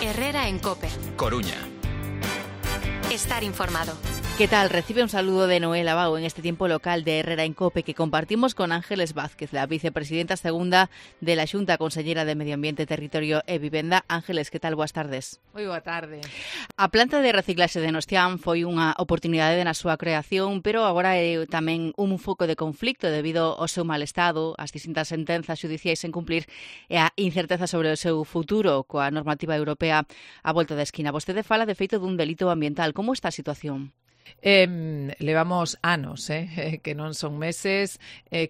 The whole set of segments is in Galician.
Herrera en COPE. Coruña. Estar informado. ¿Qué tal? Recibe un saludo de Noel Abao en este tiempo local de Herrera en COPE que compartimos con Ángeles Vázquez, la vicepresidenta segunda de la Xunta, consellera de Medio Ambiente, Territorio e Vivenda. Ángeles, que tal? Boas tardes. Moi boa tarde. A planta de reciclaxe de Nostián foi unha oportunidade na súa creación, pero agora é tamén un foco de conflicto debido ao seu mal estado, as distintas sentenzas xudiciais sen cumplir e a incerteza sobre o seu futuro coa normativa europea á volta da esquina. Vostede fala de feito dun delito ambiental. Como está a situación? Levamos anos, que non son meses,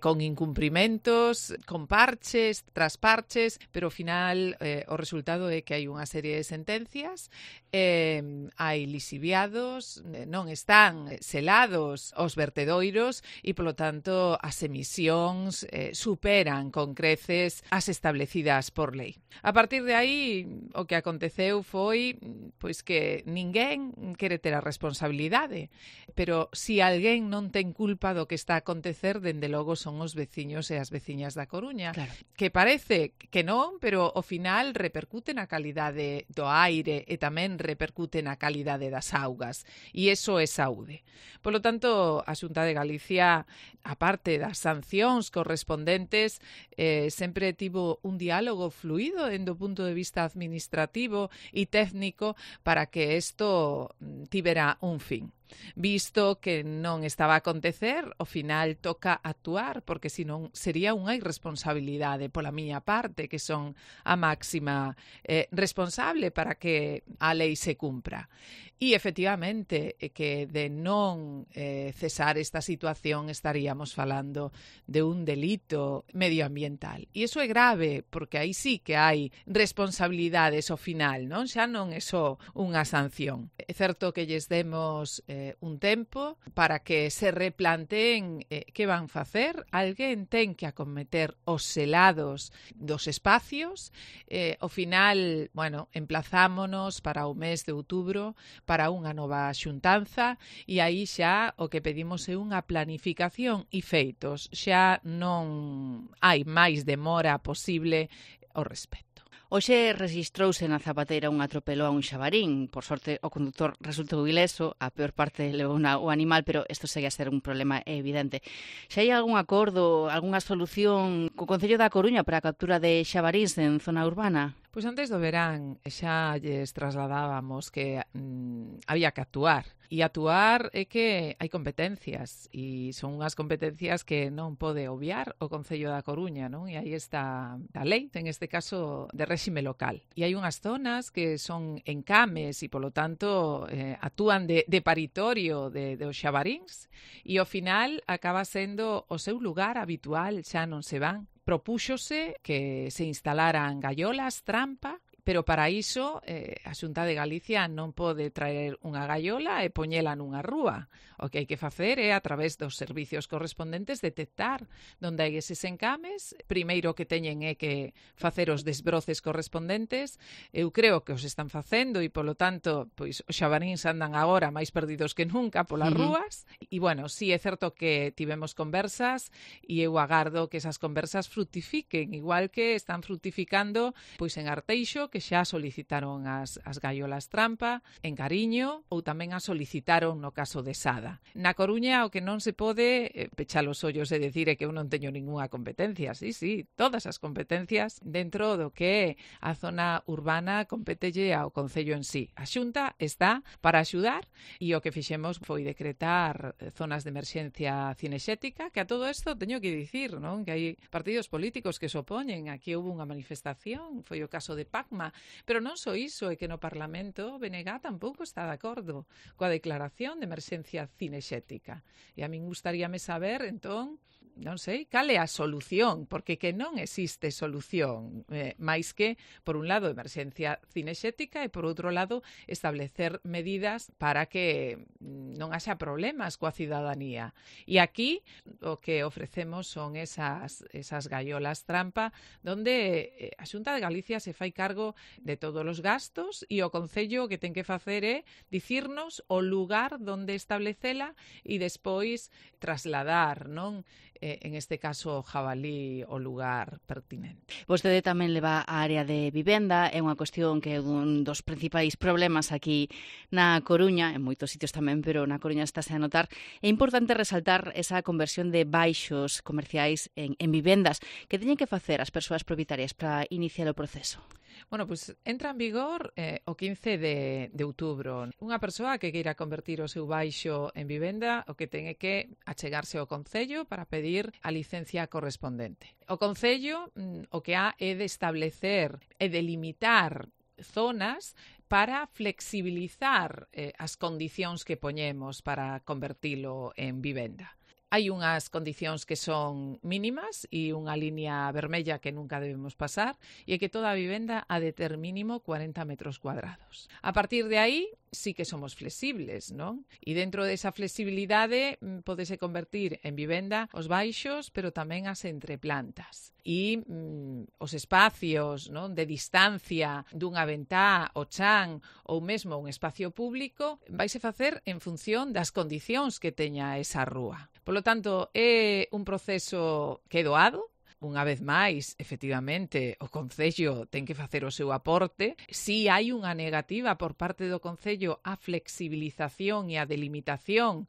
con incumprimentos, con parches, tras parches, pero ao final o resultado é que hai unha serie de sentencias, hai lisiviados, non están selados os vertedoiros e, polo tanto, as emisións superan con creces as establecidas por lei. A partir de aí, o que aconteceu foi pois que ninguén quere ter a responsabilidade. Pero si alguén non ten culpa do que está a acontecer, dende logo son os veciños e as veciñas da Coruña. Claro. Que parece que non, pero ao final repercute na calidade do aire e tamén repercute na calidade das augas. E iso é saúde. Polo tanto, a Xunta de Galicia, a parte das sancións correspondentes, sempre tivo un diálogo fluido dende o punto de vista administrativo e técnico para que isto tivera un fin. Visto que non estaba a acontecer, ao final toca actuar, porque senón sería unha irresponsabilidade pola miña parte, que son a máxima responsable para que a lei se cumpra. E, efectivamente, que de non cesar esta situación estaríamos falando de un delito medioambiental. E iso é grave, porque aí sí que hai responsabilidades ao final, non? Xa non é só unha sanción. É certo que lles demos un tempo para que se replanteen que van facer. Alguén ten que acometer os selados dos espacios. Ao final, bueno, emplazámonos para o mes de outubro para unha nova xuntanza e aí xa o que pedimos é unha planificación e feitos. Xa non hai máis demora posible ao respecto. Hoxe rexistrouse na Zapateira un atropelo a un xabarín. Por sorte, o conductor resultou ileso, a peor parte levou o animal, pero isto segue a ser un problema evidente. Xa hai algún acordo, algunha solución co Concello da Coruña para a captura de xabaríns en zona urbana? Pois antes do verán xa lles trasladábamos que había que actuar. E actuar é que hai competencias e son unhas competencias que non pode obviar o Concello da Coruña, non? E aí está a lei, en este caso de réxime local. E hai unhas zonas que son encames e, polo tanto, actúan de paritorio dos xabaríns e ao final acaba sendo o seu lugar habitual, xa non se van. Propúxose que se instalaran gallolas trampa, pero para iso a Xunta de Galicia non pode traer unha gallola e poñela nunha rúa. O que hai que facer é, a través dos servicios correspondentes, detectar onde hai eses encames. Primeiro que teñen é que facer os desbroces correspondentes. Eu creo que os están facendo e, polo tanto, pois os xabaríns andan agora máis perdidos que nunca polas rúas. E, bueno, sí é certo que tivemos conversas e eu agardo que esas conversas frutifiquen, igual que están frutificando pois en Arteixo, que xa solicitaron as gallolas trampa, en Cariño, ou tamén as solicitaron no caso de Sada. Na Coruña o que non se pode pechar os ollos e decir é que eu non teño ningunha competencia. Sí, todas as competencias dentro do que a zona urbana competelle ao Concello en sí. A Xunta está para axudar e o que fixemos foi decretar zonas de emerxencia cinexética, que a todo isto teño que dicir, non? Que hai partidos políticos que se opoñen. Aquí houve unha manifestación, foi o caso de Pacma, pero non só iso, é que no Parlamento BNG tampouco está de acordo coa declaración de emerxencia cinexética. E a min gustaríame saber, entón, non sei, cal é a solución, porque que non existe solución, máis que, por un lado, emerxencia cinexética e, por outro lado, establecer medidas para que non haxa problemas coa cidadanía. E aquí o que ofrecemos son esas gallolas trampa, donde a Xunta de Galicia se fai cargo de todos os gastos e o Concello que ten que facer é dicirnos o lugar donde establecela e despois trasladar, non? en este caso, jabalí o lugar pertinente. Vostede tamén leva a área de vivenda, é unha cuestión que é un dos principais problemas aquí na Coruña, en moitos sitios tamén, pero na Coruña estáse a notar. É importante resaltar esa conversión de baixos comerciais en vivendas. Que teñen que facer as persoas propietarias para iniciar o proceso? Bueno, pues entra en vigor o 15 de outubro. Unha persoa que queira convertir o seu baixo en vivenda, o que ten é que achegarse ao Concello para pedir a licencia correspondente. O Concello o que ha é de establecer e delimitar zonas para flexibilizar as condicións que poñemos para convertilo en vivenda. Hai unhas condicións que son mínimas e unha liña vermella que nunca debemos pasar e é que toda a vivenda ha de ter mínimo 40 metros cuadrados. A partir de aí, sí que somos flexibles, non? E dentro desa flexibilidade podese convertir en vivenda os baixos, pero tamén as entreplantas. E os espacios, non, de distancia dunha ventá, o chan ou mesmo un espacio público vaise facer en función das condicións que teña esa rúa. Polo tanto, é un proceso que é doado. Unha vez máis, efectivamente, o Concello ten que facer o seu aporte. Si hai unha negativa por parte do Concello á flexibilización e á delimitación,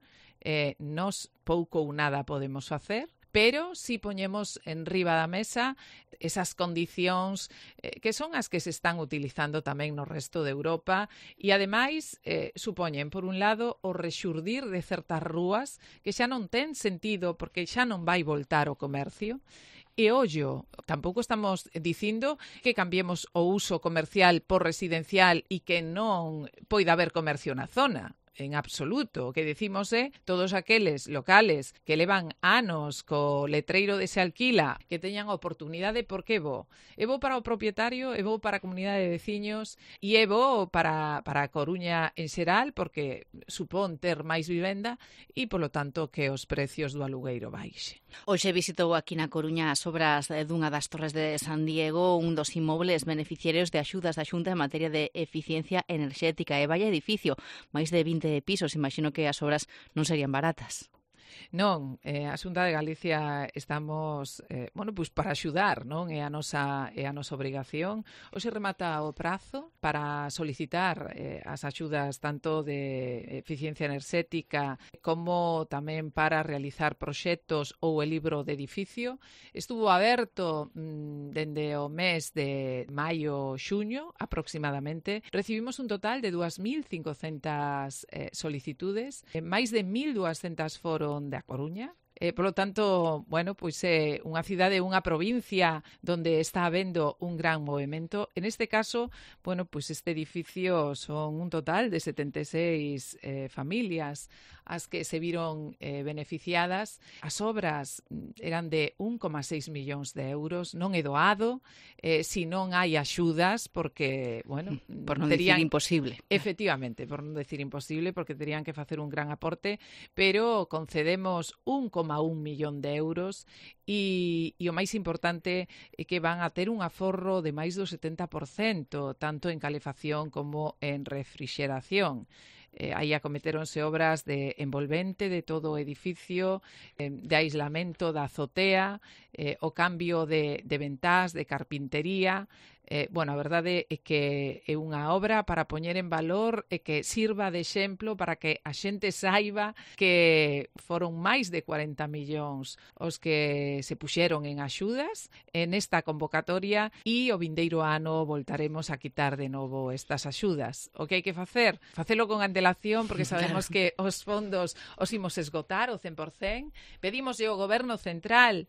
nós pouco ou nada podemos facer. Pero si poñemos en riba da mesa esas condicións que son as que se están utilizando tamén no resto de Europa e, ademais, supoñen, por un lado, o rexurdir de certas rúas que xa non ten sentido porque xa non vai voltar o comercio. E ollo, tampouco estamos dicindo que cambiemos o uso comercial por residencial e que non poida haber comercio na zona. En absoluto. O que decimos é todos aqueles locales que levan anos co letreiro de se alquila, que teñan oportunidade, porque é bo. É bo para o propietario, é bo para a comunidade de veciños e é bo para a Coruña en xeral, porque supón ter máis vivenda e, polo tanto, que os precios do alugueiro baixe. Hoxe visitou aquí na Coruña as obras dunha das torres de San Diego, un dos inmobles beneficiarios de axudas da Xunta en materia de eficiencia enerxética. E vaya edificio, máis de 20 pisos, imagino que as obras non serían baratas. Non, a Xunta de Galicia estamos, pois para axudar, non? É a nosa obrigación. Hoxe remata o prazo para solicitar as axudas tanto de eficiencia enerxética como tamén para realizar proxectos ou el libro de edificio. Estuvo aberto dende o mes de maio-xuño aproximadamente. Recibimos un total de 2.500 solicitudes, máis de 1.200 foron de A Coruña. Polo tanto, pois é unha cidade, unha provincia onde está habendo un gran movimento. En este caso, pois este edificio son un total de 76 familias as que se viron beneficiadas. As obras eran de 1,6 millóns de euros. Non é doado, si non hai axudas, porque, por non dicir imposible. Efectivamente, por non dicir imposible, porque terían que facer un gran aporte, pero concedemos 1,1 millón de euros e o máis importante é que van a ter un aforro de máis do 70%, tanto en calefacción como en refrixeración. Aí acometéronse obras de envolvente de todo o edificio, de aislamento da azotea, o cambio de ventás, de carpintería. A verdade é que é unha obra para poñer en valor e que sirva de exemplo para que a xente saiba que foron máis de 40 millóns os que se puxeron en axudas en esta convocatoria e o vindeiro ano voltaremos a quitar de novo estas axudas. O que hai que facer? Facelo con antelación porque sabemos que os fondos os imos esgotar o 100%. Pedimoslle ao Goberno Central,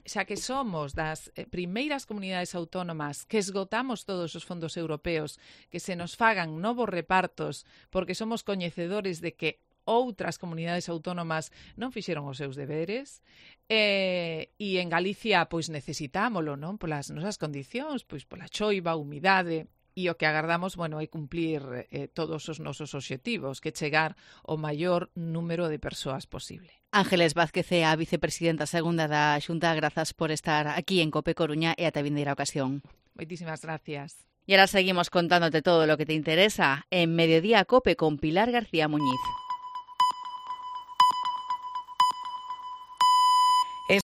xa que somos das primeiras comunidades autónomas que esgotamos todos os fondos europeos, que se nos fagan novos repartos porque somos coñecedores de que outras comunidades autónomas non fixeron os seus deberes e en Galicia pois necesitámolo, non? Polas nosas condicións, pois pola choiva, humidade. E o que agardamos, é cumplir todos os nosos obxectivos, que chegar ao maior número de persoas posible. Ángeles Vázquez é a vicepresidenta segunda da Xunta. Grazas por estar aquí en COPE Coruña e ata vindeira ocasión. Moitísimas gracias. Y ahora seguimos contándote todo lo que te interesa en Mediodía COPE con Pilar García Muñiz.